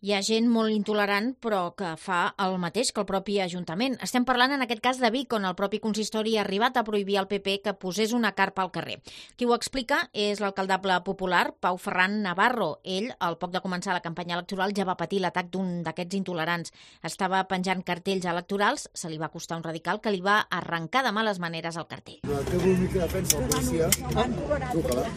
Hi ha gent molt intolerant, però que fa el mateix que el propi Ajuntament. Estem parlant en aquest cas de Vic, on el propi consistori ha arribat a prohibir al PP que posés una carpa al carrer. Qui ho explica és l'alcaldable popular, Pau Ferran Navarro. Ell, al poc de començar la campanya electoral, ja va patir l'atac d'un d'aquests intolerants. Estava penjant cartells electorals, se li va costar un radical que li va arrencar de males maneres el cartell. Té una mica de defensa la policia. Truca-la.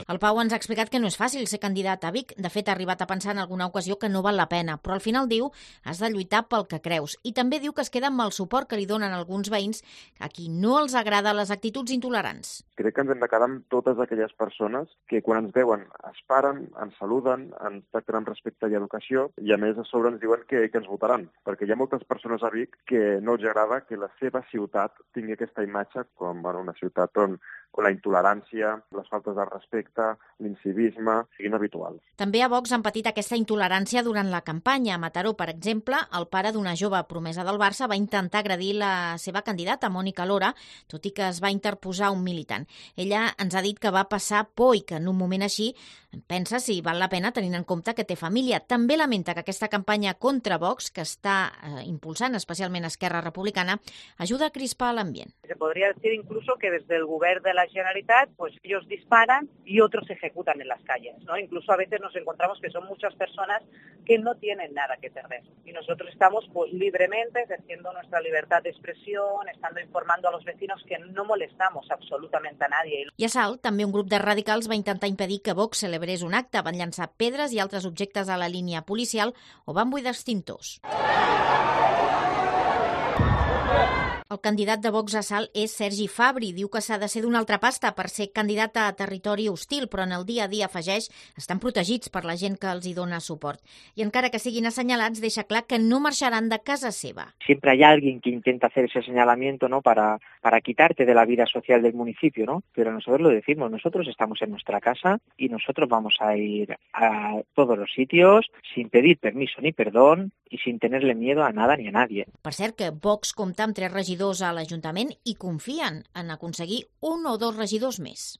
El Pau ens ha explicat que no és fàcil ser candidat a Vic. De fet, ha arribat a pensar en alguna ocasió que no val la pena, però al final diu has de lluitar pel que creus. I també diu que es queda amb el suport que li donen alguns veïns a qui no els agrada les actituds intolerants. Crec que ens hem de quedar amb totes aquelles persones que quan ens veuen es paren, ens saluden, ens tracten amb respecte i educació i a més a sobre ens diuen que ens votaran, perquè hi ha moltes persones a Vic que no els agrada que la seva ciutat tingui aquesta imatge com una ciutat on la intolerància, les faltes de respecte, l'incivisme siguin habituals. També a Vox han patit aquesta intolerància durant la campanya. A Mataró, per exemple, el pare d'una jove promesa del Barça va intentar agredir la seva candidata, Mònica Lora, tot i que es va interposar un militant. Ella ens ha dit que va passar por i que en un moment així pensa si val la pena tenint en compte que té família. També lamenta que aquesta campanya contra Vox, que està impulsant especialment Esquerra Republicana, ajuda a crispar l'ambient. Se podría decir incluso que desde el gobierno de la Generalitat, pues ellos disparan y otros ejecutan en las calles, ¿no? Incluso a veces nos encontramos que son muchas personas que no tienen nada que perder. Y nosotros estamos pues libremente ejerciendo nuestra libertad de expresión, estando informando a los vecinos que no molestamos absolutamente a nadie. I a Salt, també un grup de radicals va intentar impedir que Vox celebrés un acte. Van llançar pedres i altres objectes a la línia policial o van buidar extintors. El candidat de Vox a Salt és Sergi Fabri. Diu que s'ha de ser d'una altra pasta per ser candidat a territori hostil, però en el dia a dia, afegeix, estan protegits per la gent que els hi dona suport. I encara que siguin assenyalats, deixa clar que no marxaran de casa seva. Siempre hay alguien que intenta hacer ese señalamiento, ¿no? para quitarte de la vida social del municipio, ¿no? Pero nosotros lo decimos, nosotros estamos en nuestra casa y nosotros vamos a ir a todos los sitios sin pedir permiso ni perdón y sin tenerle miedo a nada ni a nadie. Per cert, que Vox compta amb 3 regidors a l'Ajuntament i confien en aconseguir 1 o 2 regidors més.